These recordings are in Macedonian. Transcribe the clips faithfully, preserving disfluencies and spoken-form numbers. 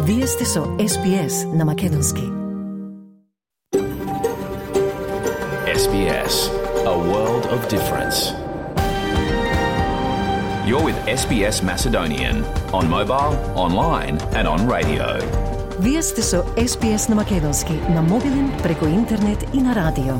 Вие сте со Ес Би Ес на Македонски. Ес Би Ес, a world of difference. You're with Ес Би Ес Macedonian on mobile, online and on radio. Вие сте со Ес Би Ес на Македонски на мобилен, преку интернет и на радио.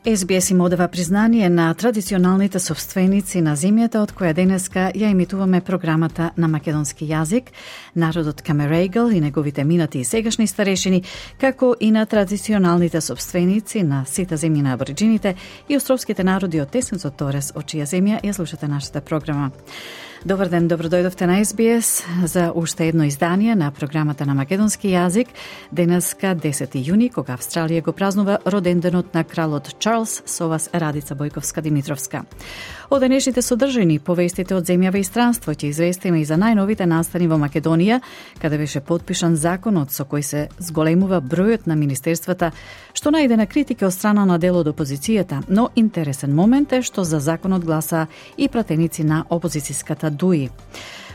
Ес Би Ес им одава признание на традиционалните собственици на земјата од која денеска ја емитуваме програмата на македонски јазик, народот Камерејгал и неговите минати и сегашни старешини, како и на традиционалните собственици на сите земји на абориджините и островските народи од Тесенцот Торес, од чија земја ја слушате нашата програма. Добар ден, добро дојдовте на Ес Би Ес за уште едно издание на програмата на македонски јазик. Денеска десети јуни, кога Австралија го празнува роденденот на кралот Чарлс, со вас Радица Бојковска-Димитровска. Од денешните содржини повестите од земјава и странство ќе известиме и за најновите настани во Македонија, каде беше подпишан законот со кој се зголемува бројот на министерствата, што најде на критики од страна на дел од опозицијата, но интересен момент е што за законот гласа и пратеници на опозицијската ДУИ.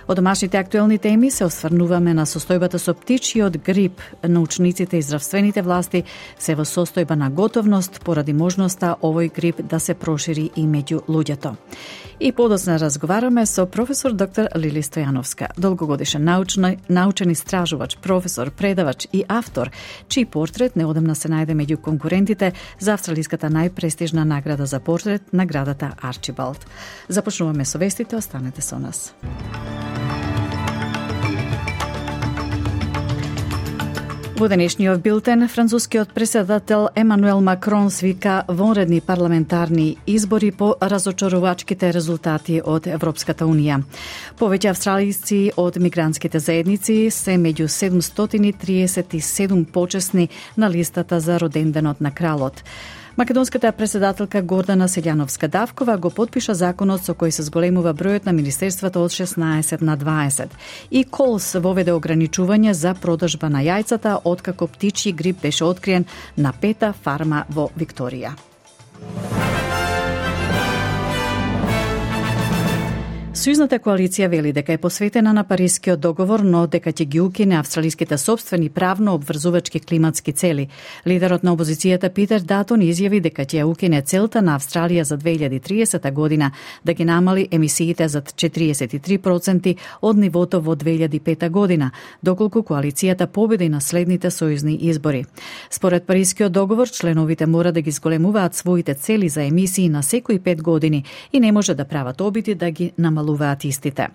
Од домашните актуелни теми се осврнуваме на состојбата со птичиот грип. Научниците и здравствените власти се во состојба на готовност поради можноста овој грип да се прошири и меѓу луѓето. И подоцна разговараме со професор доктор Лили Стојановска, долгогодишен научна, научен истражувач, професор, предавач и автор, чиј портрет неодамна се најде меѓу конкурентите за австралиската најпрестижна награда за портрет, наградата Арчибалд. Започнуваме со вестите, останете со нас. Во денешниот билтен, францускиот претседател Емануел Макрон свика вонредни парламентарни избори по разочарувачките резултати од Европската Унија. Повеќе австралисци од мигрантските заедници се меѓу седумстотини триесет и седум почесни на листата за роденденот на кралот. Македонската претседателка Гордана Селјановска-Давкова го подпиша законот со кој се зголемува бројот на министерствата од шеснаесет на дваесет. И Колс воведе ограничување за продажба на јајцата откако птичји грип беше откриен на пета фарма во Викторија. Сојузната коалиција вели дека е посветена на Парискиот договор, но дека ќе ги укине австралиските собствени правно обврзувачки климатски цели. Лидерот на опозицијата Питер Датон изјави дека ќе ја укине целта на Австралија за две илјади и триесета година да ги намали емисиите за четириесет и три проценти од нивото во две илјади и пета година, доколку коалицијата победи на следните сојузни избори. Според Парискиот договор, членовите мора да ги зголемуваат своите цели за емисии на секои пет години и не може да прават обиди да ги намалуваат истите.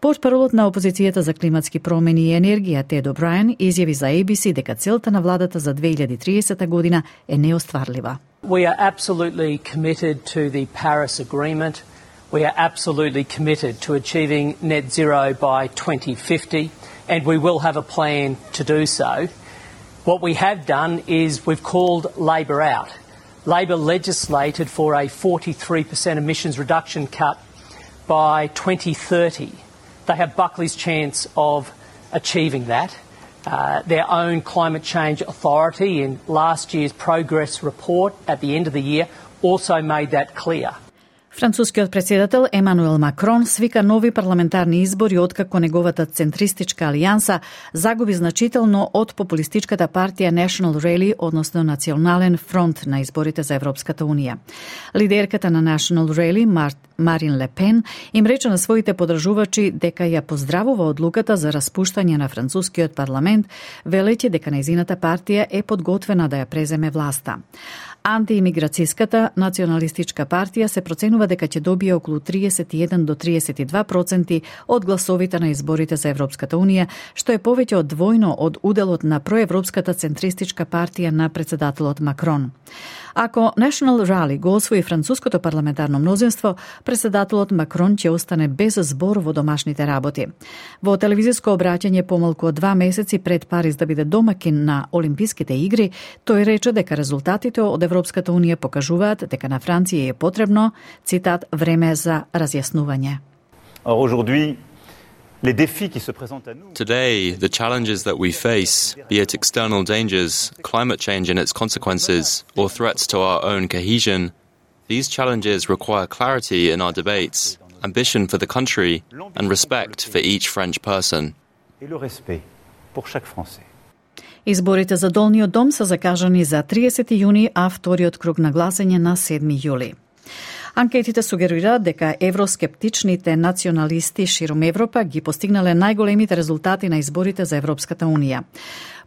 Портпаролот на опозицијата за климатски промени и енергија Тед О'Брајен изјави за Ей Би Си дека целта на владата за две илјади и триесета година е неостварлива. We are absolutely committed to the Paris Agreement. We are absolutely committed to achieving net zero by twenty fifty, and we will have a plan to do so. What we have done is we've called Labor out. Labor legislated for a forty-three percent emissions reduction cut by twenty thirty. They have Buckley's chance of achieving that. Uh, their own climate change authority in last year's progress report at the end of the year also made that clear. Францускиот претседател Емануел Макрон свика нови парламентарни избори откако неговата центристичка алијанса загуби значително од популистичката партија National Rally, односно Национален фронт на изборите за Европската Унија. Лидерката на National Rally, Мар... Марин Ле Пен, им рече на своите подржувачи дека ја поздравува одлуката за распуштање на францускиот парламент, велејќи дека нејзината партија е подготвена да ја преземе власта. Антиимиграцијската националистичка партија се проценува дека ќе добие околу триесет и еден до триесет и два проценти од гласовите на изборите за Европската Унија, што е повеќе од двојно од уделот на проевропската центристичка партија на претседателот Макрон. Ако National Rally го освои француското парламентарно мнозинство, претседателот Макрон ќе остане без збор во домашните работи. Во телевизиско обраќање помалку од два месеци пред Париз да биде домакин на Олимписките игри, тој рече дека резултатите од Европската Унија покажуваат дека на Франција е потребно, цитат, време за разјаснување. Aujourd'hui, les défis qui se présentent à nous. Today, the challenges that we face, be it external dangers, climate change and its consequences, or threats to our own cohesion, these challenges require clarity in our debates ambition for the country, and respect for each French person. Et le respect pour chaque Français. Изборите за Долниот дом се закажани за триесети јуни, а вториот круг на гласање на седми јули. Анкетите сугерираат дека евроскептичните националисти широм Европа ги постигнале најголемите резултати на изборите за Европската унија.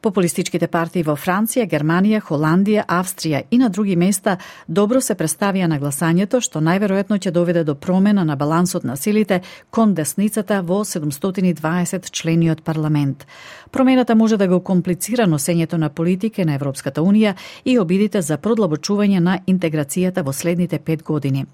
Популистичките партии во Франција, Германија, Холандија, Австрија и на други места добро се представија на гласањето, што најверојатно ќе доведе до промена на балансот на силите кон десницата во седумстотини и дваесет члениот парламент. Промената може да го комплицира носењето на политике на Европската унија и обидите за продлабочување на интеграцијата во следните пет години.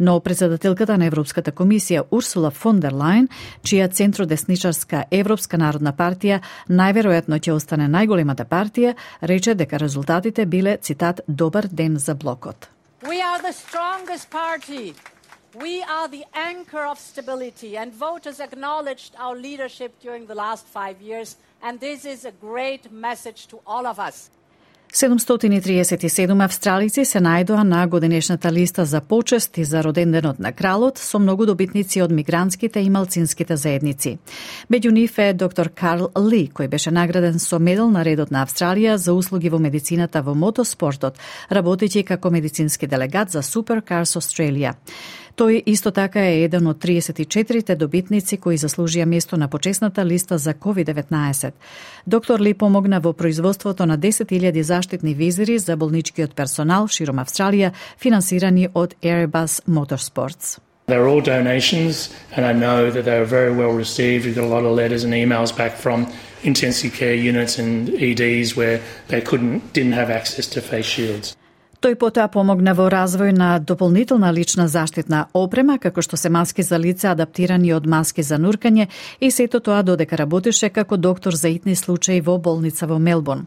Но председателката на Европската комисија Урсула фон дер Лајен, чија центродесничарска Европска народна партија најверојатно ќе остане најголемата партија, рече дека резултатите биле, цитат, добар ден за блокот. We are the strongest party. We are the anchor of stability, and voters acknowledged our leadership during the last five years, and this is a great message to all of us. седумстотини и триесет и седум австралици се најдоа на годинешната листа за почести за роденденот на кралот со многу добитници од мигрантските и малцинските заедници. Меѓу нив е доктор Карл Ли, кој беше награден со медал на редот на Австралија за услуги во медицината во мотоспортот, работејќи како медицински делегат за Supercars Australia. Тој исто така е еден од триесет и четирите добитници кои заслужија место на почесната листа за ковид деветнаесет. Доктор Ли помогна во производството на десет илјади заштитни визири за болничкиот персонал широм Австралија, финансирани од Airbus Motorsports. They're all donations, and I know that they were very well received. We got a lot of letters and emails back from intensive care units and E Ds where they couldn't, didn't have access to face shields. Тој потоа помогна во развој на дополнителна лична заштитна опрема, како што се маски за лице адаптирани од маски за нуркање, и сето тоа додека работеше како доктор за итни случаи во болница во Мелбурн.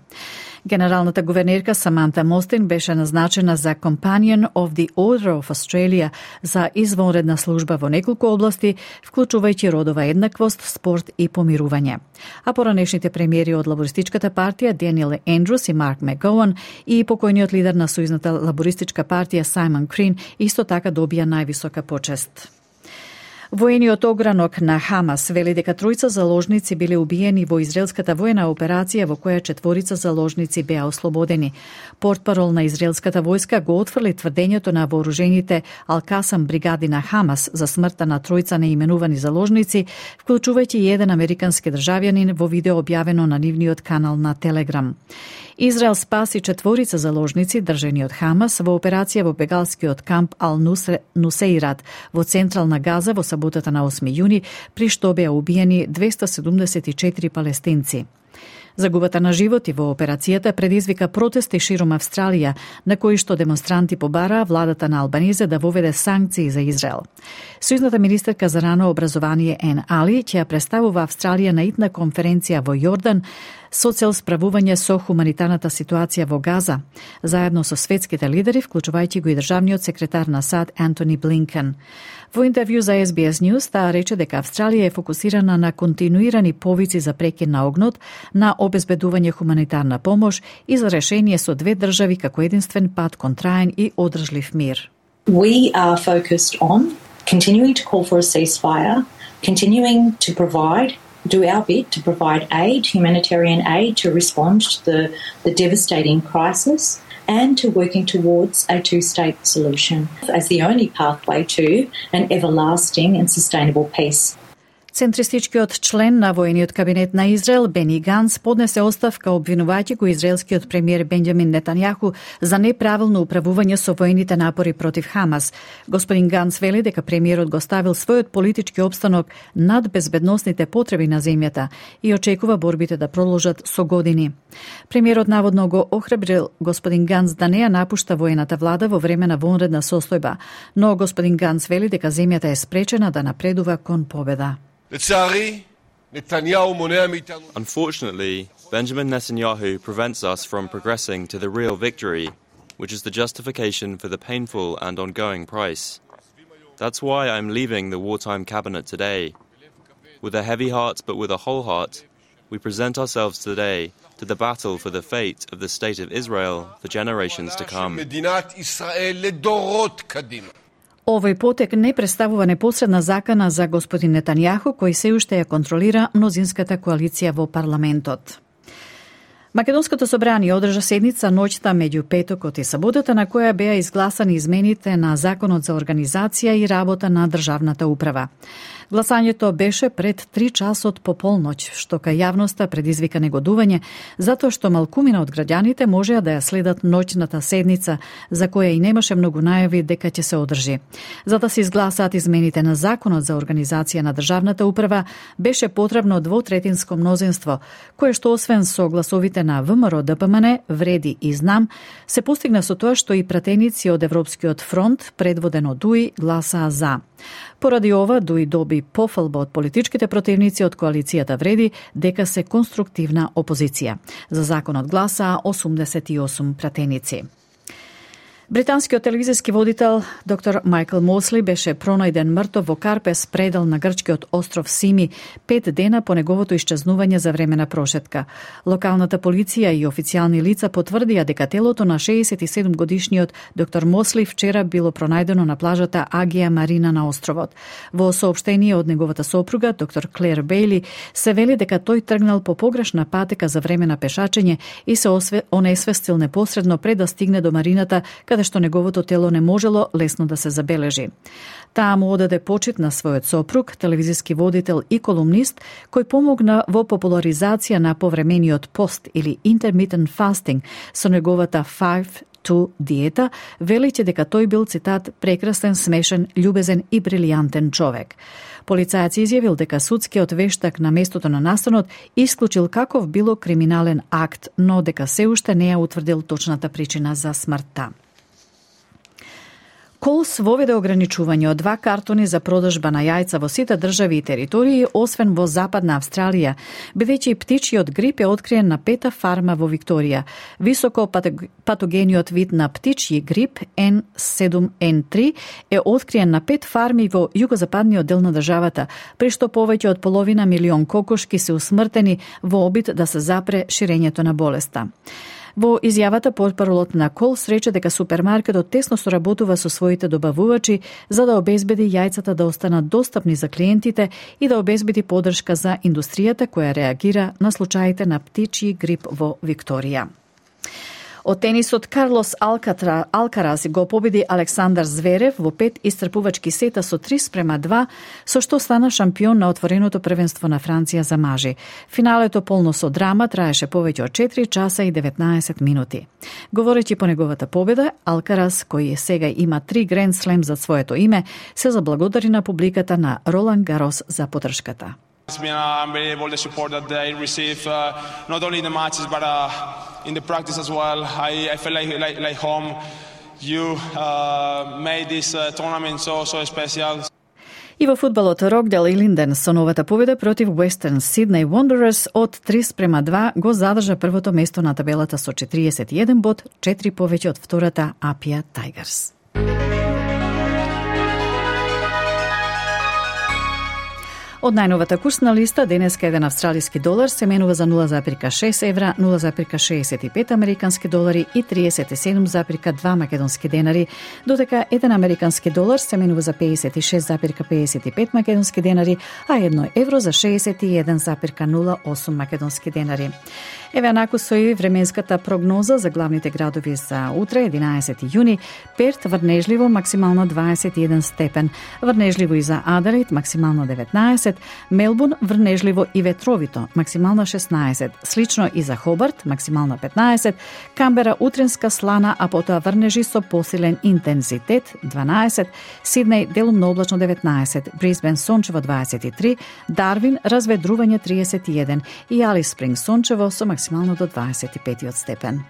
Генералната гувернерка Саманта Мостин беше назначена за Companion of the Order of Australia за извонредна служба во неколку области, вклучувајќи родова еднаквост, спорт и помирување. А поранешните премиери од лабористичката партија Даниел Ендрус и Марк Макгоуан и покојниот лидер на сојузната лабористичка партија Саймон Крин исто така добија највисока почест. Воениот огранок на Хамас вели дека тројца заложници биле убиени во израелската воена операција во која четворица заложници беа ослободени. Портпарол на израелската војска го отфрли тврдењето на вооружените Ал-Касам бригади на Хамас за смртта на тројца неименувани заложници, вклучувајќи и еден американски државјанин во видео објавено на нивниот канал на Телеграм. Израел спаси четворица заложници држани од Хамас во операција во бегалскиот камп Ал-Нусейрат во централна Газа во саботата на осми јуни, при што беа убиени двеста седумдесет и четири палестинци. Загубата на животи во операцијата предизвика протести широм Австралија, на кои што демонстранти побараа владата на Албанезе да воведе санкции за Израел. Сојузната министерка за рано образование Ен Али ќе представува Австралија на итна конференција во Јордан со цел справување со хуманитарната ситуација во Газа, заедно со светските лидери, вклучувајќи го и државниот секретар на САД Антони Блинкен. Во интервју за Ес Би Ес News таа рече дека Австралија е фокусирана на континуирани повици за прекин на огнот, на обезбедување хуманитарна помош и за решение со две држави како единствен пат кон траен и одржлив мир. We are focused on continuing to call for a ceasefire, continuing to provide do our bit to provide aid, humanitarian aid, to respond to the, the devastating crisis, and to working towards a two-state solution as the only pathway to an everlasting and sustainable peace. Центристичкиот член на воениот кабинет на Израел Бени Ганс поднесе оставка обвинувајќи го израелскиот премиер Бенџамин Нетањаху за неправилно управување со воените напори против Хамас. Господин Ганс вели дека премиерот го ставил својот политички опстанок над безбедносните потреби на земјата и очекува борбите да продолжат со години. Премиерот наводно го охрабрил господин Ганс да не ја напушта воената влада во време на вонредна состојба, но господин Ганс вели дека земјата е спречена да напредува кон победа. Unfortunately, Benjamin Netanyahu prevents us from progressing to the real victory, which is the justification for the painful and ongoing price. That's why I'm leaving the wartime cabinet today. With a heavy heart but with a whole heart, we present ourselves today to the battle for the fate of the State of Israel for generations to come. Овој потек не представува непосредна закана за господин Нетањаху, кој се уште ја контролира мнозинската коалиција во парламентот. Македонското собрание одржа седница ноќта меѓу петокот и саботата, на која беа изгласани измените на Законот за организација и работа на државната управа. Гласањето беше пред три часот по полноќ, што кај јавноста предизвика негодување, затоа што малкумина од граѓаните можеа да ја следат ноќната седница, за која и немаше многу најави дека ќе се одржи. За да се изгласаат измените на Законот за организација на државната управа, беше потребно двотретинско мнозинство, кое што освен со гласовите на ВМРО Д П М Н, Вреди и Знам, се постигна со тоа што и пратеници од Европскиот фронт, предводен од Дуи, гласаа за. Поради ова, Дуи доби пофалба од политичките противници од коалицијата Вреди дека се конструктивна опозиција. За законот гласаа осумдесет и осум пратеници. Британскиот телевизиски водител доктор Майкл Мосли беше пронајден мртов во Карпес, предел на грчкиот остров Сими, пет дена по неговото исчезнување за време на прошетка. Локалната полиција и официјални лица потврдија дека телото на шеесет и седум годишниот доктор Мосли вчера било пронајдено на плажата Агија Марина на островот. Во соопштение од неговата сопруга, доктор Клер Бејли, се вели дека тој тргнал по погрешна патека за време на пешачење и се онесвестил непосредно пред да стигне до марината, каде што неговото тело не можело лесно да се забележи. Таа му одаде почит на својот сопруг, телевизиски водител и колумнист, кој помогна во популаризација на повремениот пост или intermittent fasting со неговата five two диета, велејќи дека тој бил, цитат, прекрасен, смешен, љубезен и брилијантен човек. Полицајец изјавил дека судскиот вештак на местото на настанот исклучил каков било криминален акт, но дека се уште не ја утврдил точната причина за смртта. Колс воведе ограничување од два картони за продажба на јајца во сите држави и територии, освен во Западна Австралија, бидејќи птичјиот грип е откриен на пета фарма во Викторија. Високо патогениот вид на птичји грип Н седум Н три е откриен на пет фарми во југозападниот дел на државата, при што повеќе од половина милион кокошки се усмртени во обид да се запре ширењето на болеста. Во изјавата портпаролот на Колс рече дека супермаркетот тесно соработува со своите добавувачи за да обезбеди јајцата да останат достапни за клиентите и да обезбеди поддршка за индустријата која реагира на случаите на птичји грип во Викторија. Од тенисот, Карлос Алкатра, Алкарас го победи Александар Зверев во пет исцрпувачки сета со три спрема два, со што стана шампион на отвореното првенство на Франција за мажи. Финалето полно со драма траеше повеќе од четири часа и деветнаесет минути. Говорејќи по неговата победа, Алкарас, кој сега има три Гранд Слем за своето име, се заблагодари на публиката на Ролан Гарос за поддршката. It's been uh, unbelievable the support that they receive, uh, not only in the matches but uh, in the practice as well. I, I feel like, like, like home. You uh, made this uh, tournament so so special. И во фудбалот, Рокдел и Линден со новата победа против Western Sydney Wanderers од три спрема два го задржа првото место на табелата со четириесет и еден бод, четири повеќе од втората Апија Tigers. Од најновата курсна листа, денеска еден австралиски долар се менува за нула зарез шест евра, нула зарез шеесет и пет американски долари и триесет и седум зарез два македонски денари, додека еден американски долар се менува за пеесет и шест зарез пеесет и пет македонски денари, а едно евро за шеесет и еден зарез нула осум македонски денари. Еве анаку со и временската прогноза за главните градови за утре, единаесети јуни. Перт врнежливо, максимално дваесет и еден степен. Врнежливо и за Аделаид, максимално деветнаесет. Мелбурн врнежливо и ветровито, максимално шеснаесет. Слично и за Хобарт, максимално петнаесет. Камбера утринска слана, а потоа врнежи со посилен интензитет, дванаесет. Сиднеј делумно облачно деветнаесет. Брисбен сончево дваесет и три. Дарвин разведрување триесет и еден. И Алис Спринг сончево со максимално до дваесет и пет степен.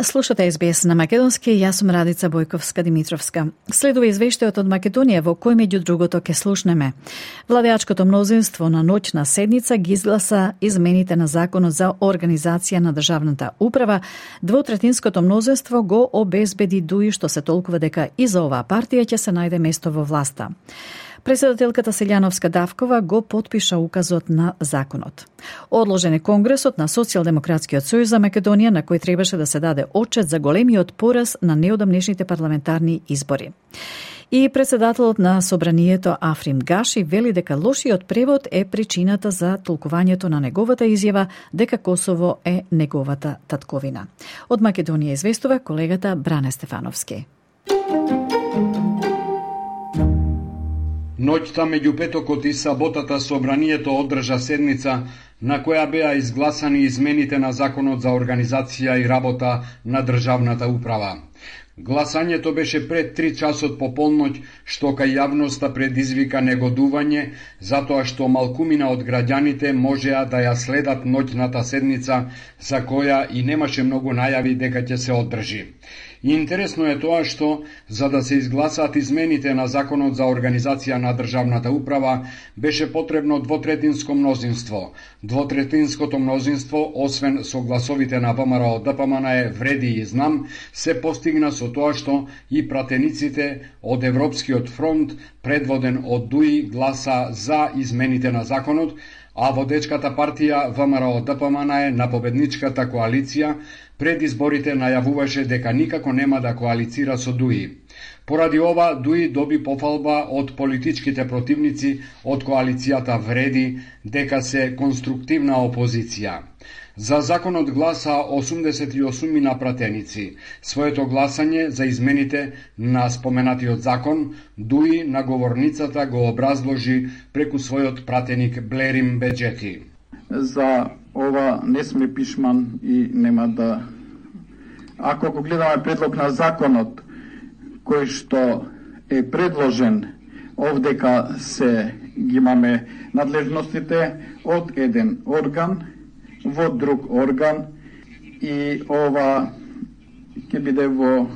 Слушате Ес Би Ес на македонски, јас сум Радица Бојковска-Димитровска. Следува извештајот од Македонија во кој меѓу другото ке слушнеме. Владеачкото мнозинство на ноќна седница ги изгласа измените на Законот за организација на државната управа. Двотретинското мнозинство го обезбеди Дуи, што се толкува дека и за оваа партија ќе се најде место во власта. Председателката Селјановска Давкова го потпиша указот на законот. Одложен е Конгресот на Социјалдемократскиот сојуз за Македонија, на кој требаше да се даде отчет за големиот пораз на неодамнешните парламентарни избори. И председателот на Собранието Африм Гаши вели дека лошиот превод е причината за толкувањето на неговата изјава дека Косово е неговата татковина. Од Македонија известува колегата Бране Стефановски. Ноќта меѓу петокот и саботата Собранието одржа седница на која беа изгласани измените на Законот за организација и работа на државната управа. Гласањето беше пред три часот по полноќ, што кај јавноста предизвика негодување, затоа што малкумина од граѓаните можеа да ја следат ноќната седница, за која и немаше многу најави дека ќе се одржи. Интересно е тоа што, за да се изгласаат измените на Законот за организација на државната управа, беше потребно двотретинско мнозинство. Двотретинското мнозинство, освен со гласовите на ВМРО ДПМН е вреди и знам, се постигна со тоа што и пратениците од Европскиот фронт, предводен од ДУИ, гласа за измените на законот, а водечката партија ВМРО ДПМН е на победничката коалиција пред изборите најавуваше дека никако нема да коалицира со ДУИ. Поради ова, ДУИ доби пофалба од политичките противници од коалицијата вреди дека се конструктивна опозиција. За законот гласа осумдесет и осум на пратеници. Своето гласање за измените на споменатиот закон, ДУИ на говорницата го образложи преку својот пратеник Блерим Беджети. За ова не сме пишман и нема да... Ако го гледаме предлог на законот, кој што е предложен, овдека се ги имаме надлежностите од еден орган во друг орган и ова ќе биде во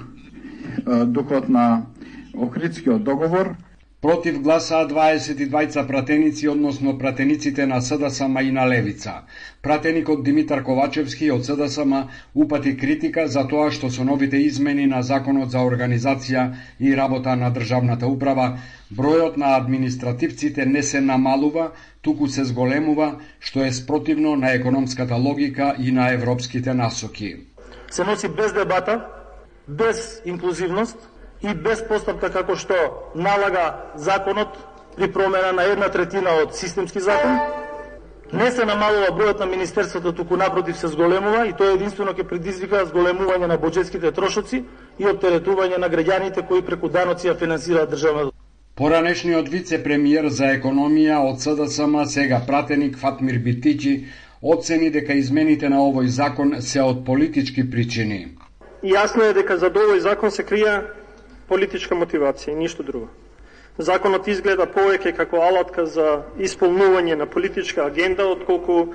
духот на Охридскиот договор. Против гласаа дваесет и двајца пратеници, односно пратениците на СДСМ и на Левица. Пратеникот Димитар Ковачевски од СДСМ упати критика за тоа што со новите измени на Законот за организација и работа на државната управа, бројот на административците не се намалува, туку се зголемува, што е спротивно на економската логика и на европските насоки. Се носи без дебата, без инклузивност и без постапка како што налага законот при промена на една третина од системски закон. Не се намалува бројот на министерството, туку напротив се зголемува и тоа единствено ќе предизвика зголемување на буџетските трошоци и оптеретување на граѓаните кои преку даноци ја финансираат државната. Поранешниот вице-премиер за економија од СДСМ, сега пратеник Фатмир Битичи, оцени дека измените на овој закон се од политички причини. И јасно е дека за овој закон се крија политичка мотивација и ништо друго. Законот изгледа повеќе како алатка за исполнување на политичка агенда, отколку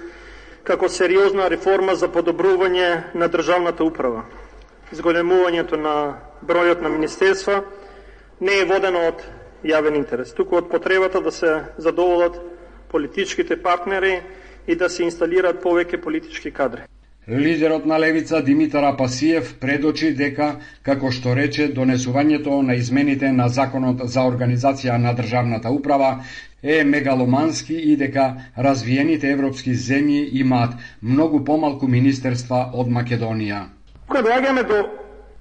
како сериозна реформа за подобрување на државната управа. Зголемувањето на бројот на министерства не е водено од јавен интерес, туку од потребата да се задоволат политичките партнери и да се инсталираат повеќе политички кадри. Лидерот на Левица Димитар Апасиев предочи дека, како што рече, донесувањето на измените на Законот за организација на државната управа е мегаломански и дека развиените европски земји имаат многу помалку министерства од Македонија. Кога доаѓаме до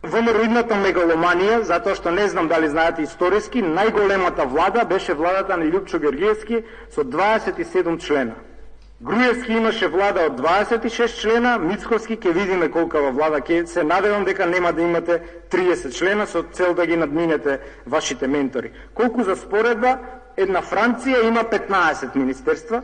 ВМРО-идната мегаломанија, затоа што не знам дали знаете историски, најголемата влада беше владата на Љупчо Георгиевски со дваесет и седум члена. Груевски имаше влада од дваесет и шест члена, Мицковски ќе видиме колкава влада, ќе се надевам дека нема да имате триесет члена со цел да ги надминете вашите ментори. Колку за споредба, една Франција има петнаесет министерства,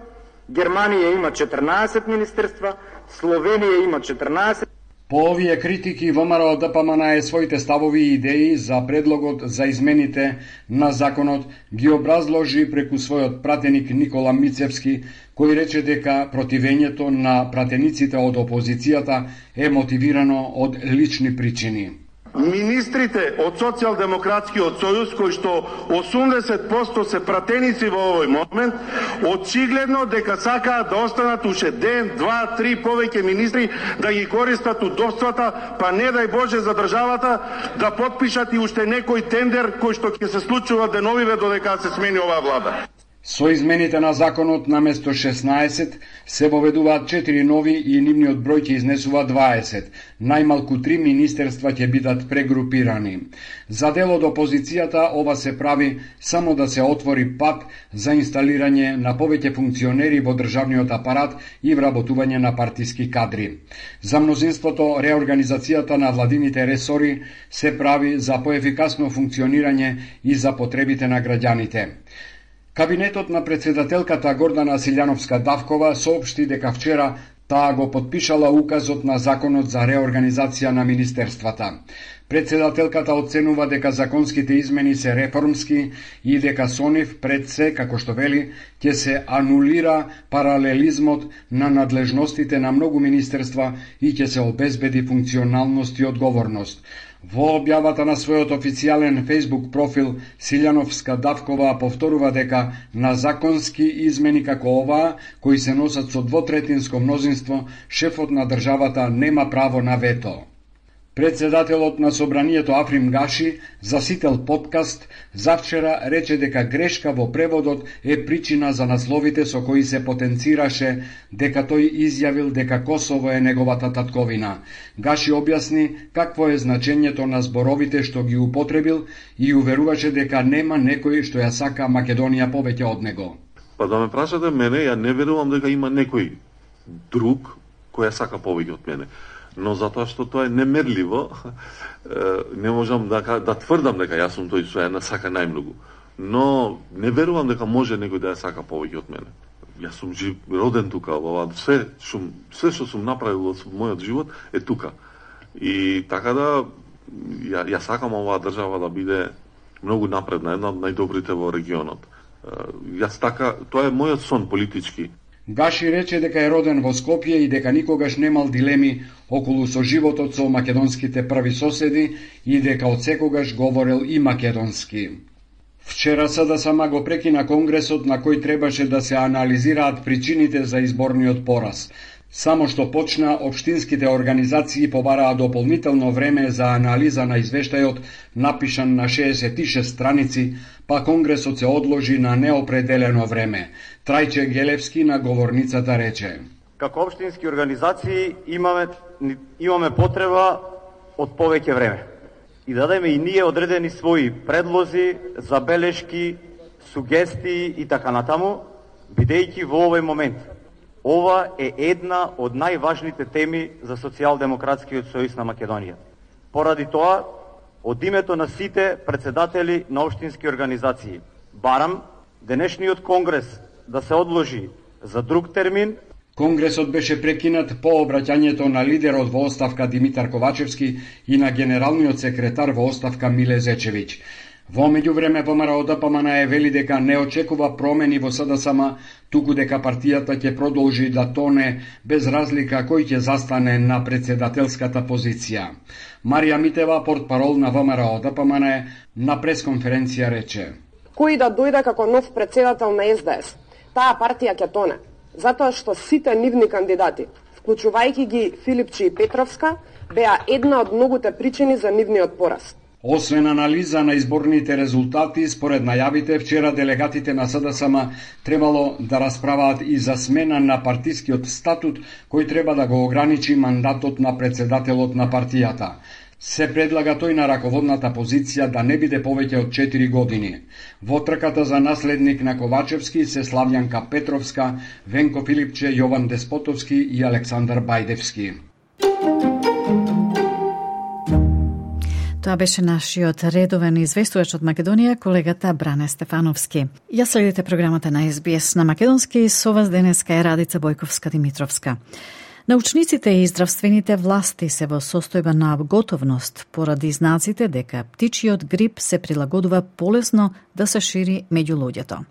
Германија има четрнаесет министерства, Словенија има четрнаесет. По овие критики ВМРО ДПМН е своите ставови и идеи за предлогот за измените на законот ги образложи преку својот пратеник Никола Мицевски, кој рече дека противењето на пратениците од опозицијата е мотивирано од лични причини. Министрите од Социјалдемократскиот сојуз, кои што осумдесет проценти се пратеници во овој момент, очигледно дека сакаат да останат уште ден, два, три повеќе министри да ги користат удобствата, па не дај Боже за државата да подпишат и уште некој тендер кој што ќе се случува деновиве додека се смени оваа влада. Со измените на законот наместо шеснаесет се воведуваат четири нови и нивниот број ќе изнесува дваесет. Најмалку три министерства ќе бидат прегрупирани. За дел од опозицијата ова се прави само да се отвори пат за инсталирање на повеќе функционери во државниот апарат и вработување на партиски кадри. За мнозинството реорганизацијата на владините ресори се прави за поефикасно функционирање и за потребите на граѓаните. Кабинетот на председателката Гордана Силјановска-Давкова соопшти дека вчера таа го подпишала указот на законот за реорганизација на министерствата. Председателката оценува дека законските измени се реформски и дека со нив пред се, како што вели, ќе се анулира паралелизмот на надлежностите на многу министерства и ќе се обезбеди функционалност и одговорност. Во објавата на својот официјален Facebook профил, Силјановска-Давкова повторува дека на законски измени како оваа, кои се носат со двотретинско мнозинство, шефот на државата нема право на вето. Председателот на Собранието Африм Гаши за Сител подкаст завчера рече дека грешка во преводот е причина за насловите со кои се потенцираше дека тој изјавил дека Косово е неговата татковина. Гаши објасни какво е значењето на зборовите што ги употребил и уверуваше дека нема некој што ја сака Македонија повеќе од него. Па да ме прашате мене, ја не верувам дека има некој друг кој ја сака повеќе од мене. Но затоа што тоа е немерливо, не можам да, да тврдам дека јас сум тој што ја сака најмногу. Но не верувам дека може некој да ја сака повеќе од мене. Јас сум жив, роден тука, ова се што се што сум направил во мојот живот е тука. И така да ја, ја сакам оваа држава да биде многу напредна, една од најдобрите во регионот. Јас така, тоа е мојот сон политички. Гаши рече дека е роден во Скопје и дека никогаш немал дилеми околу соживотот со македонските први соседи и дека од секогаш говорел и македонски. Вчера СДСМ го прекина конгресот на кој требаше да се анализираат причините за изборниот пораз. Само што почна, општинските организации побараа дополнително време за анализа на извештајот, напишан на шеесет и шест страници, па конгресот се одложи на неопределено време. Трајче Гелевски на говорницата рече: Како општински организации имаме, имаме потреба од повеќе време. И дадеме и ние одредени своји предлози, забелешки, сугестии и така натаму, бидејќи во овој момент ова е една од најважните теми за Социјалдемократскиот сојуз на Македонија. Поради тоа, од името на сите председатели на општински организации, барам денешниот конгрес да се одложи за друг термин. Конгресот беше прекинат по обраќањето на лидерот во оставка Димитар Ковачевски и на генералниот секретар во оставка Миле Зечевиќ. Во меѓувреме ВМРО ДПМН е вели дека не очекува промени во СДСМ, туку дека партијата ќе продолжи да тоне без разлика кој ќе застане на председателската позиција. Марија Митева, портпарол на ВМРО ДПМН, на пресконференција рече: Кој да дојде како нов председател на СДС, таа партија ќе тоне, затоа што сите нивни кандидати, вклучувајќи ги Филипчи и Петровска, беа една од многуте причини за нивниот пораз. Освен анализа на изборните резултати, според најавите, вчера делегатите на СДСМ требало да расправаат и за смена на партискиот статут, кој треба да го ограничи мандатот на председателот на партијата. Се предлага тој на раководната позиција да не биде повеќе од четири години. Во трката за наследник на Ковачевски се Славјанка Петровска, Венко Филипче, Јован Деспотовски и Александар Бајдевски. Тоа беше нашиот редовен известувач од Македонија, колегата Бране Стефановски. Ја следите програмата на Ес Би Ес на македонски, со вас денеска е Радица Бојковска-Димитровска. Научниците и здравствените власти се во состојба на готовност поради знаците дека птичиот грип се прилагодува полесно да се шири меѓу луѓето.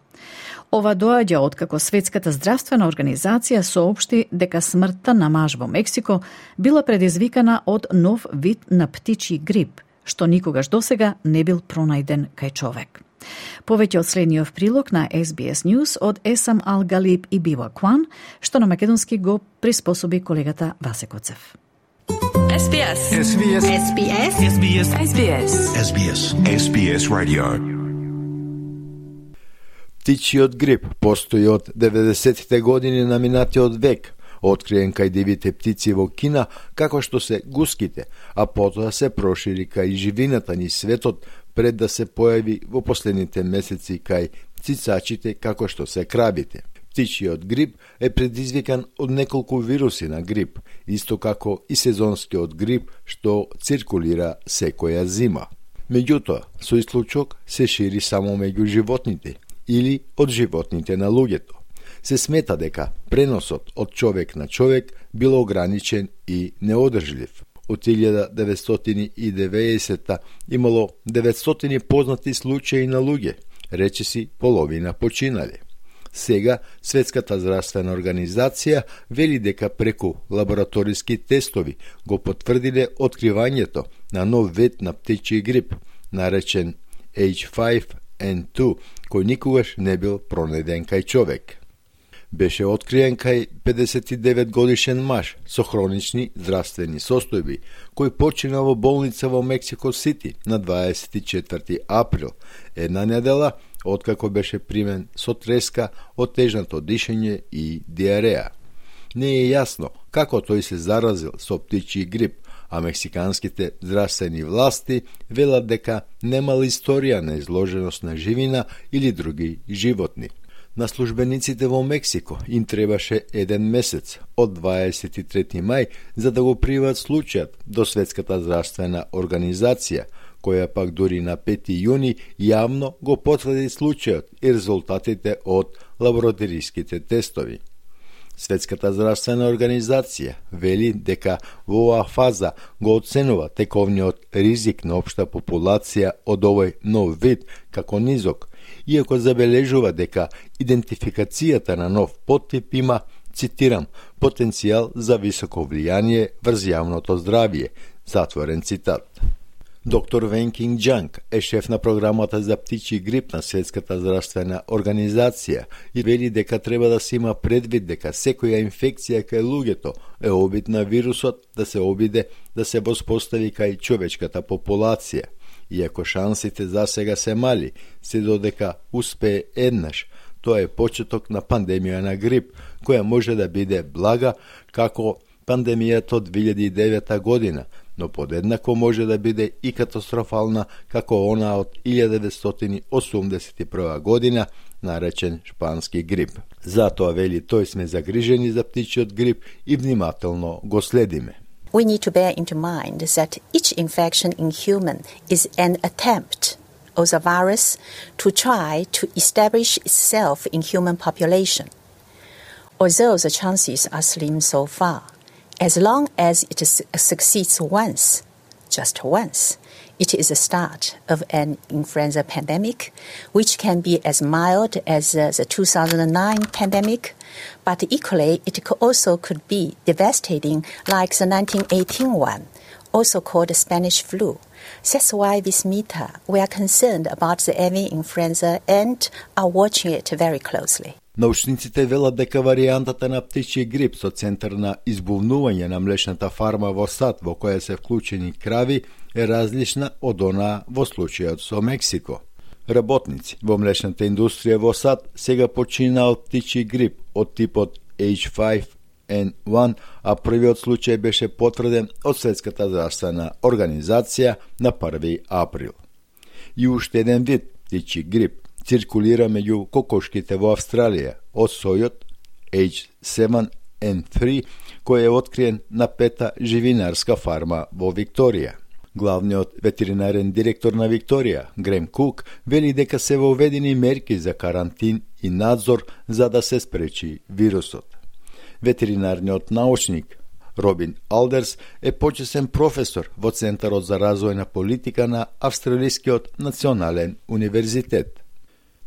Ова доаѓа откако Светската здравствена организација соопшти дека смртта на маж во Мексико била предизвикана од нов вид на птичи грип, што никогаш досега не бил пронајден кај човек. Повеќе од следниот прилог на Ес Би Ес News од Есам Ал Галиб и Бива Кван, што на македонски го приспособи колегата Васе Коцев. Ес Би Ес. Ес Би Ес. Ес Би Ес. Ес Би Ес. Ес Би Ес. Ес Би Ес. Ес Би Ес Radio. Птичиот грип постои од деветдесеттите години на минатиот век, откриен кај дивите птици во Кина, како што се гуските, а потоа се прошири кај живината ни светот пред да се појави во последните месеци кај цицачите, како што се крабите. Птичиот грип е предизвикан од неколку вируси на грип, исто како и сезонскиот грип што циркулира секоја зима. Меѓутоа, со исклучок се шири само меѓу животните или од животните на луѓето. Се смета дека преносот од човек на човек бил ограничен и неодржлив. Од илјада деветстотини и деветдесета имало деветстотини познати случаи на луѓе, речиси половина починали. Сега Светската здравствена организација вели дека преку лабораториски тестови го потврдиле откривањето на нов вид на птичји грип, наречен Еич фајв ен ту, кој никогаш не бил пронајден кај човек. Беше откриен кај педесет и девет годишен маж со хронични здравствени состојби, кој почина во болница во Мексико Сити на дваесет и четврти април, една недела откако беше примен со треска, отежнато дишење и диареја. Не е јасно како тој се заразил со птичји грип, а мексиканските здравствени власти велат дека немал историја на изложеност на живина или други животни. На службениците во Мексико им требаше еден месец, од дваесет и трети мај, за да го приват случајот до Светската здравствена организација, која пак дури на пети јуни јавно го потврди случајот и резултатите од лабораториските тестови. Светската здравствена организација вели дека во оваа фаза го оценува тековниот ризик на општа популација од овој нов вид како низок, иако забележува дека идентификацијата на нов поттип има, цитирам, потенцијал за високо влијание врз јавното здравје, затворен цитат. Доктор Вен Кинг Џанг е шеф на програмата за птичји грип на Светската здравствена организација и вели дека треба да се има предвид дека секоја инфекција кај луѓето е обид на вирусот да се обиде да се воспостави кај човечката популација. Иако шансите за сега се мали, се додека успее еднаш, тоа е почеток на пандемија на грип, која може да биде блага како пандемијата од две илјади и девета година, но подеднакво може да биде и катастрофална како она од илјада деветстотини осумдесет и прва година, наречен шпански грип. Затоа вели тој сме загрижени за птичиот грип и внимателно го следиме. We need to bear into mind that each infection in human is an attempt of the virus to try to establish itself in human population. Although the chances are slim so far, as long as it succeeds once, just once, it is the start of an influenza pandemic, which can be as mild as uh, the two thousand nine pandemic, but equally it also could be devastating like the nineteen eighteen one, also called the Spanish flu. That's why with Mita, we are concerned about the avian influenza and are watching it very closely. Научниците велат дека варијантата на птичји грип со центар на избувнување на млечната фарма во САД во која се вклучени крави е различна од онаа во случајот со Мексико. Работници во млечната индустрија во САД сега почина од птичји грип од типот Еич фајв ен еден, а првиот случај беше потврден од Светската здравствена организација на први април. И уште еден вид птичји грип циркулира меѓу кокошките во Австралија од сојот Еич седум ен три, кој е откриен на пета живинарска фарма во Викторија. Главниот ветеринарен директор на Викторија, Грем Кук, вели дека се воведени мерки за карантин и надзор за да се спречи вирусот. Ветеринарниот научник Робин Алдерс е почесен професор во Центарот за развојна политика на Австралискиот национален универзитет.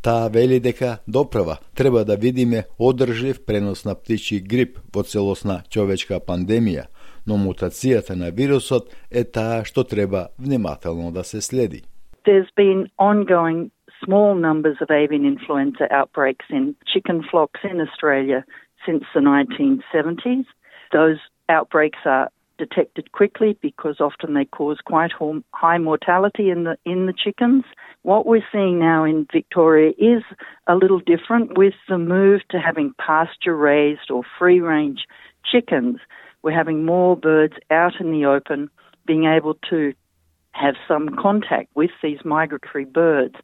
Таа вели дека доправа треба да видиме одржлив пренос на птичји грип во целосна човечка пандемија, но мутацијата на вирусот е таа што треба внимателно да се следи. There's been ongoing small numbers of avian influenza outbreaks in chicken flocks in Australia since the nineteen seventies. Those outbreaks are detected quickly because often they cause quite high mortality in the in the chickens. What we're seeing now in Victoria is a little different with the move to having pasture-raised or free-range chickens. We're having more birds out in the open, being able to have some contact with these migratory birds.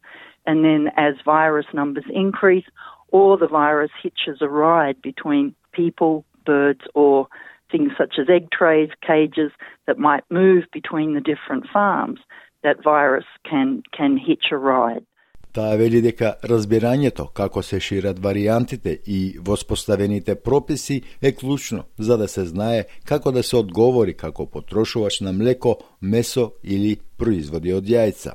And then as virus numbers increase, or the virus hitches a ride between people, birds, or things such as egg trays, cages that might move between the different farms, that virus can, can hitch a ride. Таа вели дека разбирањето како се шират варијантите и воспоставените прописи е клучно за да се знае како да се одговори како потрошувач на млеко, месо или производи од јајца.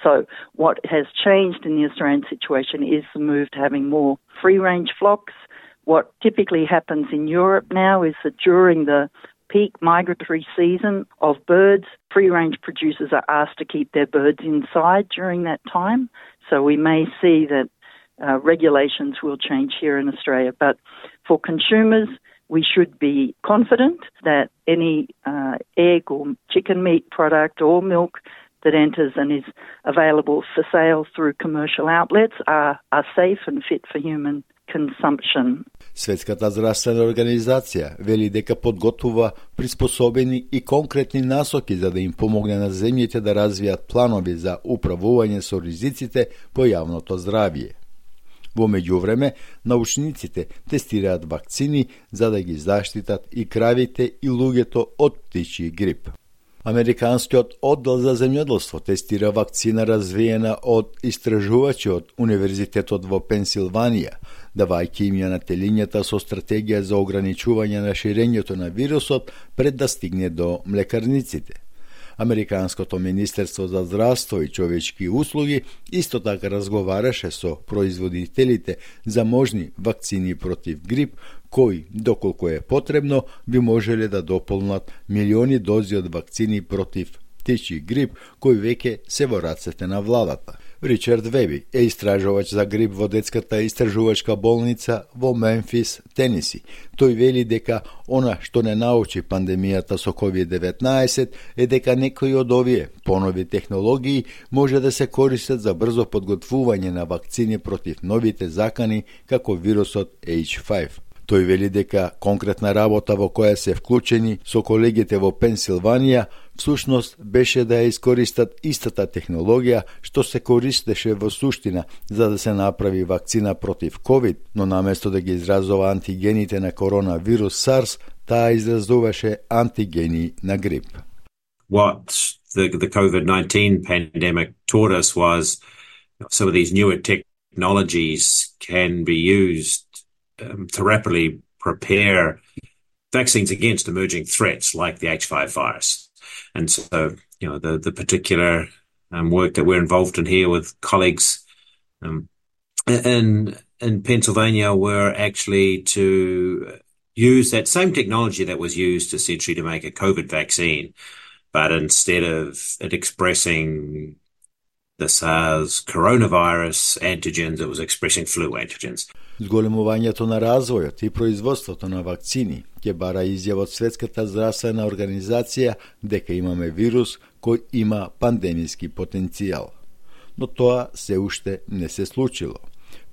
So what has changed in the Australian situation is the move to having more free-range flocks. What typically happens in Europe now is that during the peak migratory season of birds, free-range producers are asked to keep their birds inside during that time. So we may see that uh, regulations will change here in Australia. But for consumers, we should be confident that any uh, egg or chicken meat product or milk that enters and is available for sale through commercial outlets are, are safe and fit for human consumption. Светската здравствена организација вели дека подготвува приспособени и конкретни насоки за да им помогне на земјите да развијат планови за управување со ризиците по јавното здравје. Во меѓувреме, научниците тестираат вакцини за да ги заштитат и кравите и луѓето од птичји грип. Американскиот оддел за земјоделство тестира вакцина развиена од истражувачи од Универзитетот во Пенсилванија, давајќи им ја на телињата со стратегија за ограничување на ширењето на вирусот пред да стигне до млекарниците. Американското Министерство за здравство и човечки услуги исто така разговараше со производителите за можни вакцини против грип, кои, доколку е потребно, би можеле да дополнат милиони дози од вакцини против птичји грип, кои веќе се во рацете на владата. Ричард Веби е истражувач за грип во детската истражувачка болница во Мемфис, Тенеси. Тој вели дека она што не научи пандемијата со ковид деветнаесет е дека некои од овие понови технологии може да се користат за брзо подготвување на вакцини против новите закани како вирусот H five. Тој вели дека конкретна работа во која се вклучени со колегите во Пенсилванија всушност беше да ја искористат истата технологија што се користеше во суштина за да се направи вакцина против ковид, но наместо да ги изразува антигените на коронавирус SARS, таа изразуваше антигени на грип. What the, the COVID nineteen pandemic taught us was some of these newer technologies can be used Um, to rapidly prepare vaccines against emerging threats like the H five virus. And so, you know, the, the particular um, work that we're involved in here with colleagues um, in, in Pennsylvania were actually to use that same technology that was used essentially to make a COVID vaccine, but instead of it expressing the SARS coronavirus antigens, it was expressing flu antigens. Зголемувањето на развојот и производството на вакцини ќе бара изјава од Светската здравствена организација дека имаме вирус кој има пандемиски потенцијал. Но тоа се уште не се случило.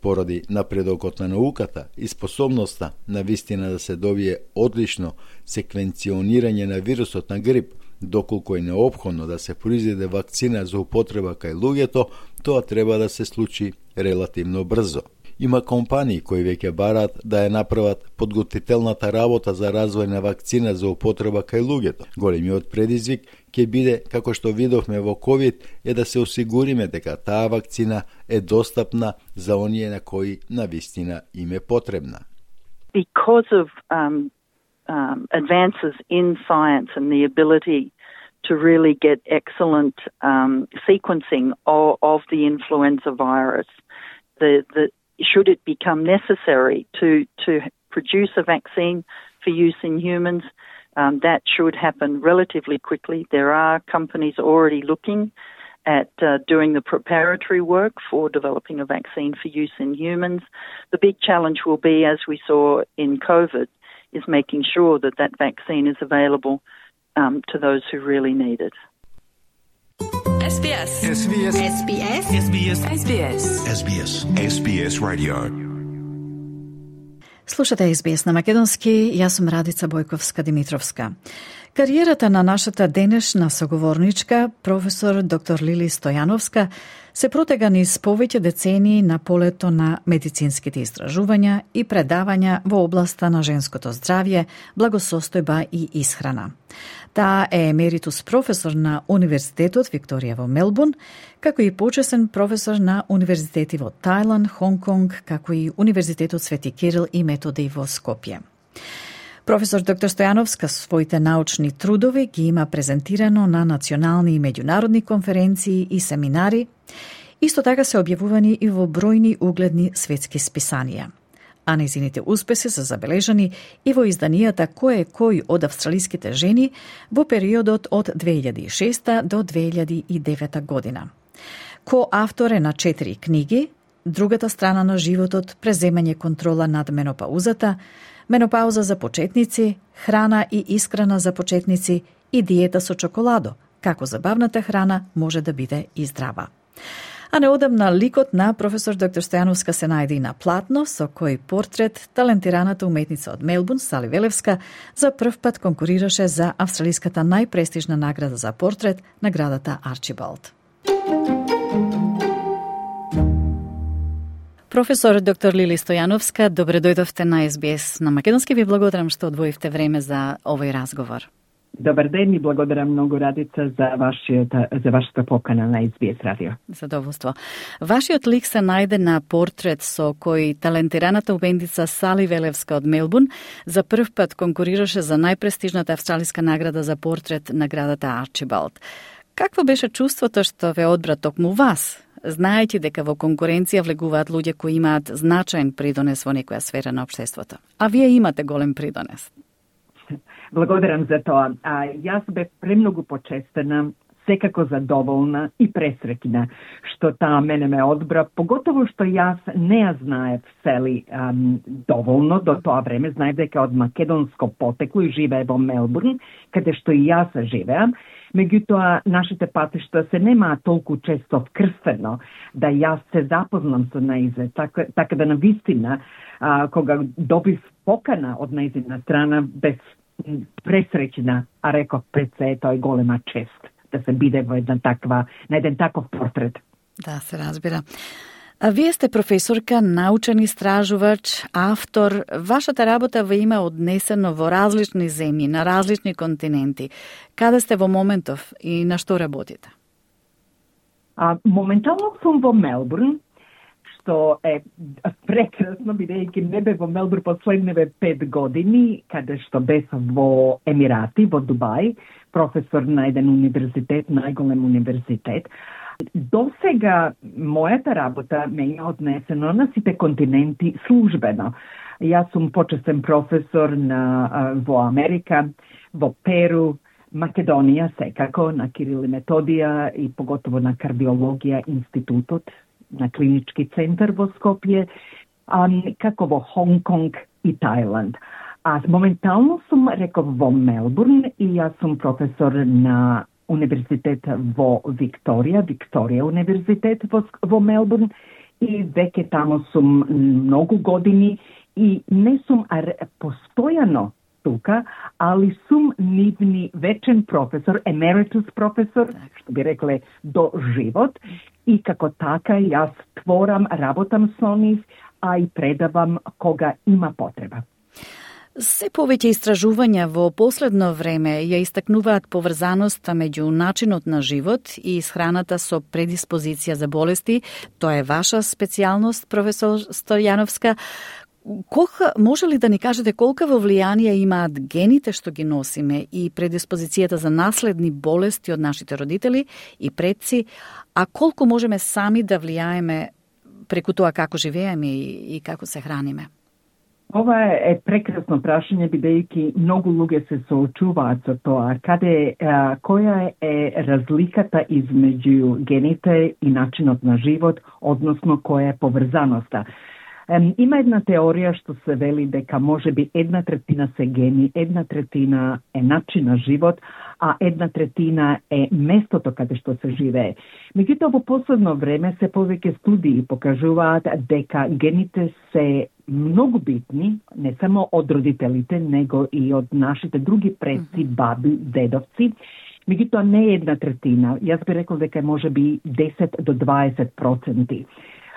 Поради напредокот на науката и способноста на вистина да се добие одлично секвенционирање на вирусот на грип, доколку е неопходно да се произведе вакцина за употреба кај луѓето, тоа треба да се случи релативно брзо. Има компании кои веќе бараат да ја направат подготвителната работа за развој на вакцина за употреба кај луѓето. Големиот предизвик ќе биде, како што видовме во ковид, е да се осигуриме дека таа вакцина е достапна за оние на кои навистина им е потребна. Because of um, um, advances in science and the ability to really get excellent um, sequencing of, of the influenza virus, the, the should it become necessary to, to produce a vaccine for use in humans, um, that should happen relatively quickly. There are companies already looking at uh, doing the preparatory work for developing a vaccine for use in humans. The big challenge will be, as we saw in COVID, is making sure that that vaccine is available um, to those who really need it. S B S. S B S. S B S. S B S. S B S. S B S. S B S Radio. Слушате Ес Би Ес на македонски, јас сум Радица Бојковска-Димитровска. Кариерата на нашата денешна соговорничка, професор доктор Лили Стојановска, се протега низ повеќе децении на полето на медицинските истражувања и предавања во областа на женското здравје, благосостојба и исхрана. Таа е емеритус професор на Универзитетот Викторија во Мелбурн, како и почесен професор на универзитети во Тајланд, Хонг-Конг, како и Универзитетот Свети Кирил и Методи во Скопје. Професор доктор Стојановска своите научни трудови ги има презентирано на национални и меѓународни конференции и семинари. Исто така се објавувани и во бројни угледни светски списанија. А незините успеси се забележани и во изданијата Кој е кој од австралиските жени во периодот од две илјади и шеста до две илјади и девета година. Коавтор е на четири книги: Другата страна на животот, преземање контрола над менопаузата, Менопауза за почетници, Храна и исхрана за почетници и Диета со чоколадо, како забавната храна може да биде и здрава. А неодамна ликот на професор доктор Стојановска се најде и на платно, со кој портрет талентираната уметница од Мелбурн, Сали Велевска, за прв пат конкурираше за австралиската најпрестижна награда за портрет, наградата Арчибалд. Професор доктор Лили Стојановска, добре дојдовте на Ес Би Ес на македонски. Ви благодарам што одвоивте време за овој разговор. Добар ден и благодарам многу, Радица, за вашата, за вашата покана на Ес Би Ес радио. Задоволство. Вашиот лик се најде на портрет со кој талентираната уметница Сали Велевска од Мелбурн за прв пат конкурираше за најпрестижната австралиска награда за портрет, наградата Арчибалд. Какво беше чувството што ве одбра токму вас, знаејќи дека во конкуренција влегуваат луѓе кои имаат значаен придонес во некоја сфера на општеството? А вие имате голем придонес. Благодарам за тоа. А, јас бев премногу почестена, секако задоволна и пресреќна што таа мене ме одбра, поготово што јас не ја знаев Сели ам, доволно до тоа време. Знаев дека од македонско потекло и живее во Мелбурн, каде што и јас живеам. Меѓутоа, нашите патишта се немаа толку често вкрстено да јас се запознам со нејзе. Така, така да навистина, а, кога добив покана од нејзина страна, без пресреќна, а реков пред се е тој голема чест да се биде во една таква, на еден таков портрет. Да, се разбира. А вие сте професорка, научен истражувач, автор. Вашата работа ве има однесено во различни земји, на различни континенти. Каде сте во моментов и на што работите? А, моментално сум во Мелбурн, што е прекрасно, бидејќи не бе во Мелбурн последниве пет години, каде што бев во Емирати, во Дубај, професор на еден универзитет, најголем универзитет. До сега мојата работа ме е однесено на сите континенти службено. Јас сум почестен професор на, во Америка, во Перу, Македонија секако, на Кирил и Методија и поготово на кардиологија институтот, на клинички центар во Скопје, а, како во Хонг-Конг и Тајланд. А моментално сум, реков, во Мелбурн и јас сум професор на универзитет во Викторија, Викторија универзитет во, во Мелбурн и веќе тамо сум многу години и не сум постојано тука, али сум нивни вечен професор, емеритус професор, што би рекле до живот, и како така јас творам, работам со нив, а и предавам кога има потреба. Се повеќе истражувања во последно време ја истакнуваат поврзаноста меѓу начинот на живот и исхраната со предиспозиција за болести. Тоа е ваша специјалност, професор Стојановска. Колка, може ли да ни кажете колкаво влијание имаат гените што ги носиме и предиспозицијата за наследни болести од нашите родители и предци, а колку можеме сами да влијаеме преку тоа како живееме и, и како се храниме? Ова е прекрасно прашање, бидејќи многу луѓе се соочуваат со тоа. Каде, а, која е разликата измеѓу гените и начинот на живот, односно која е поврзаноста? Ем, има една теорија што се вели дека може би една третина се гени, една третина е начин на живот, а една третина е местото каде што се живее. Меѓутоа, во последно време се повеќе студии покажуваат дека гените се многу битни, не само од родителите, него и од нашите други предци, баби, дедовци. Меѓутоа, не е една третина. Јас би рекол дека може би десет до дваесет проценти.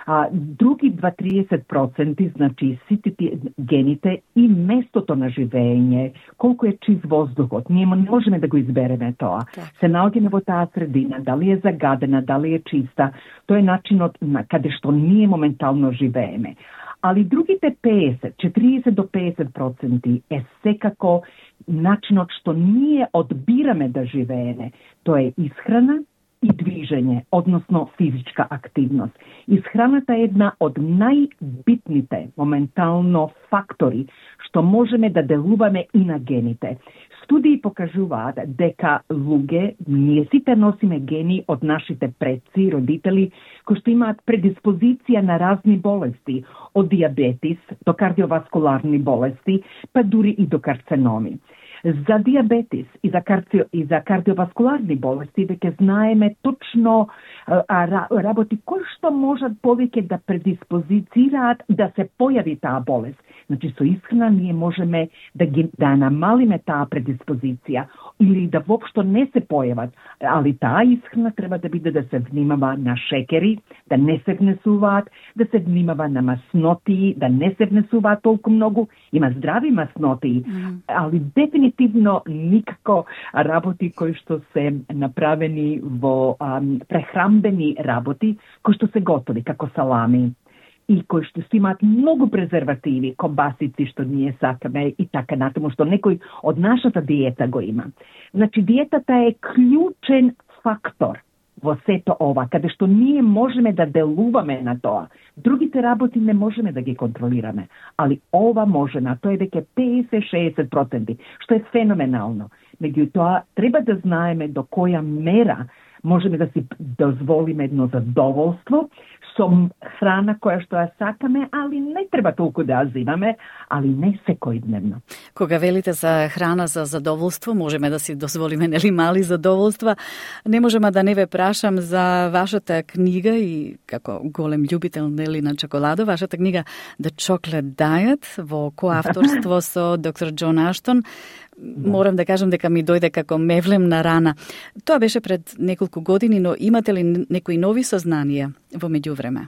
А, други два до триесет проценти, значи сите гените и местото на живење, колку е чист воздухот. Ние не можеме да го избереме тоа. Так. Се наоѓаме во таа средина, дали е загадена, дали е чиста, тоа е начинот на каде што ние моментално живееме. Али другите петдесет, четириесет до петдесет проценти е секако начинот што ние одбираме да живееме. Тоа е исхрана и движење, односно физичка активност. Исхраната е една од најбитните моментално фактори што можеме да делуваме и на гените. Студии покажуваат дека луѓе, ние сите носиме гени од нашите предци, родители, кои што имаат предиспозиција на разни болести, од диабетис до кардиоваскуларни болести, па дури и до карценоми. За диабетис и за, карци... и за кардиоваскуларни болести веќе знаеме точно а, а, работи кои што можат повеќе да предиспозицираат да се појави таа болест. Значи, со исхрана ние можеме да ги да намалиме таа предиспозиција или да воопшто не се појават. Али таа исхрана треба да биде да се внимава на шекери, да не се внесуваат, да се внимава на масноти, да не се внесуваат толку многу. Има здрави масноти, mm. али дефинитивно никако работи кои што се направени во ам, прехрамбени работи, кои што се готови, како салами и кои што имаат многу презервативи, кобасици што ние сакаме и така натаму, што некој од нашата диета го има. Значи, диетата е клучен фактор во сето ова, каде што ние можеме да делуваме на тоа. Другите работи не можеме да ги контролираме, али ова можеме, тоа е веќе петдесет до шеесет проценти, што е феноменално. Меѓутоа, треба да знаеме до која мера можеме да си дозволиме едно задоволство со храна која што ја сакаме, али не треба толку да ја зимаме, али не секојдневно. Кога велите за храна за задоволство, можеме да си дозволиме нели мали задоволства. Не можеме да не ве прашам за вашата книга и како голем љубител нели на чоколадо, вашата книга The Chocolate Diet во коавторство со доктор Џон Аштон. Морам да кажам дека ми дојде како мевлем на рана. Тоа беше пред неколку години, но имате ли некои нови сознанија во меѓувреме?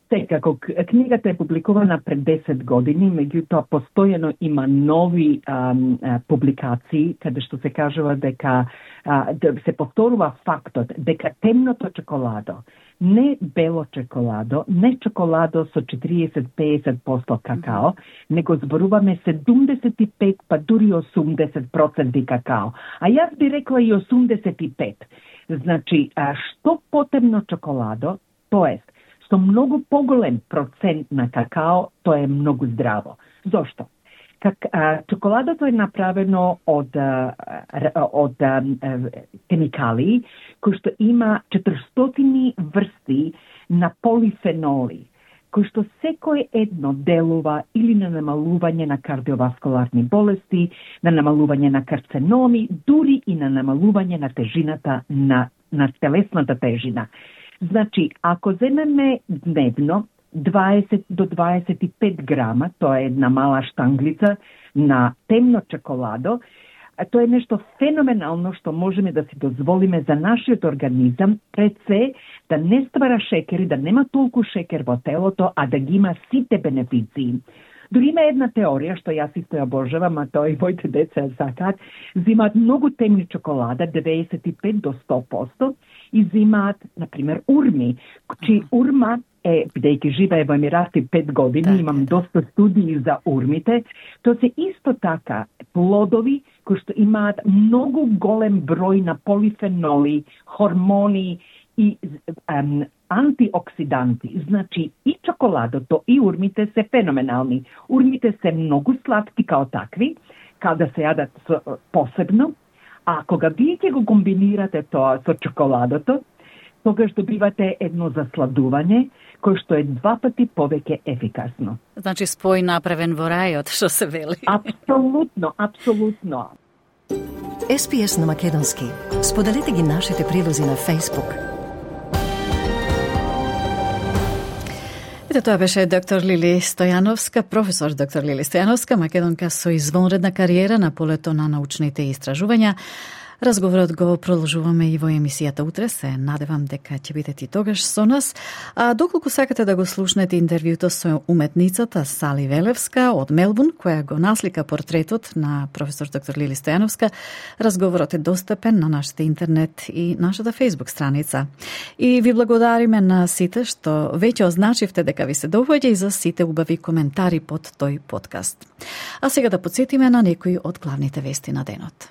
Секако, книгата е публикувана пред десет години, меѓутоа постојано има нови ам, а, публикации, каде што се кажува дека а, да се повторува фактот дека темното чоколадо, не бело чоколадо, не чоколадо со четириесет до петдесет проценти какао, него зборуваме седумдесет и пет па дури осумдесет проценти какао. А јас би рекла и осумдесет и пет. Значи, а, што потемно чоколадо, тоест, со многу поголем процент на какао, тоа е многу здраво. Зошто? Как, а, чоколадото е направено од, а, од а, хемикали, кои што има четиристотини врсти на полифеноли, кои што секој едно делува или на намалување на кардиоваскуларни болести, на намалување на карценоми, дури и на намалување на тежината на, на телесната тежина. Значи, ако земеме дневно дваесет до дваесет и пет грама, тоа е една мала штанглица на темно чоколадо, тоа е нешто феноменално што можеме да си дозволиме за нашиот организам, пред се да не ствара шекери, да нема толку шекер во телото, а да ги има сите бенефиции. Дори има една теорија што јас исто ја обожавам, а тоа и моите деца ја сакаат, зимаат многу темни чоколада, деветдесет и пет до сто проценти, и зимаат, например, урми, чи урма е, бидејќи живее во Емирати пет години, да, имам доста студии за урмите, тоа се исто така плодови кои што имаат многу голем број на полифеноли, хормони и um, антиоксиданти. Значи и чоколадото и урмите се феноменални. Урмите се многу сладки као такви, када се јадат со, посебно, а кога вие ќе го комбинирате тоа со чоколадото, тогаш добивате едно засладување кој што е два пати повеќе ефикасно. Значи спој направен во рајот, што се вели. Апсолутно, апсолутно. Ес Би Ес на македонски. Споделете ги нашите прилози на Facebook. Ете, тоа беше доктор Лили Стојановска, професор доктор Лили Стојановска, македонка со извонредна кариера на полето на научните истражувања. Разговорот го продолжуваме и во емисијата утре. Се надевам дека ќе бидете и тогаш со нас. А доколку сакате да го слушнете интервјуто со уметницата Сали Велевска од Мелбурн, која го наслика портретот на професор доктор Лили Стојановска, разговорот е достапен на нашата интернет и нашата Facebook страница. И ви благодариме на сите што веќе означивте дека ви се доваѓа и за сите убави коментари под тој подкаст. А сега да подсетиме на некои од главните вести на денот.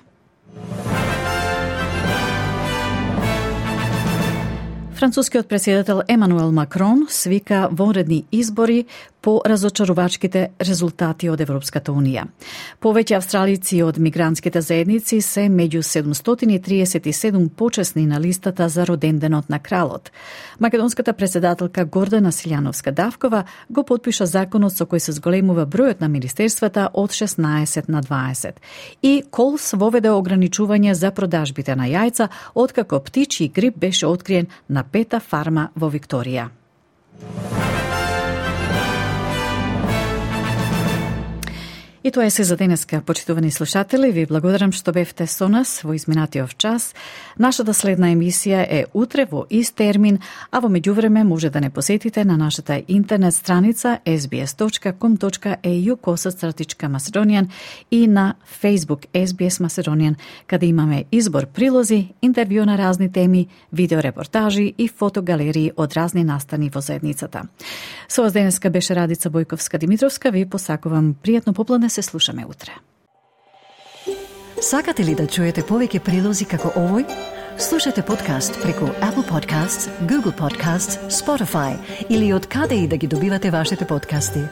Францускиот претседател Емануел Макрон свика вонредни избори по разочарувачките резултати од Европската Унија. Повеќе австралици од мигрантските заедници се меѓу седумстотини и триесет и седум почесни на листата за роденденот на кралот. Македонската претседателка Гордана Силјановска-Давкова го потпиша законот со кој се зголемува бројот на министерствата од шеснаесет на дваесет. И Колс воведе ограничување за продажбите на јајца, откако птичји грип беше откриен на пета фарма во Викторија. И тоа е се за денеска, почитувани слушатели. Ви благодарам што бевте со нас во изминатиот час. Нашата следна емисија е утре во ист термин, а во меѓувреме може да не посетите на нашата интернет страница ес би ес точка ком точка е ю косацратичка Macedonian и на Facebook Ес Би Ес Macedonian, каде имаме избор прилози, интервју на разни теми, видеорепортажи и фотогалерии од разни настани во заедницата. Со вас денеска беше Радица Бојковска-Димитровска. Ви посакувам пријатно попладне. Се слушаме утре. Сакате ли да чуете повеќе прилози како овој? Слушате подкаст преку Apple Podcasts, Google Podcasts, Spotify или од каде и да ги добивате вашите подкасти.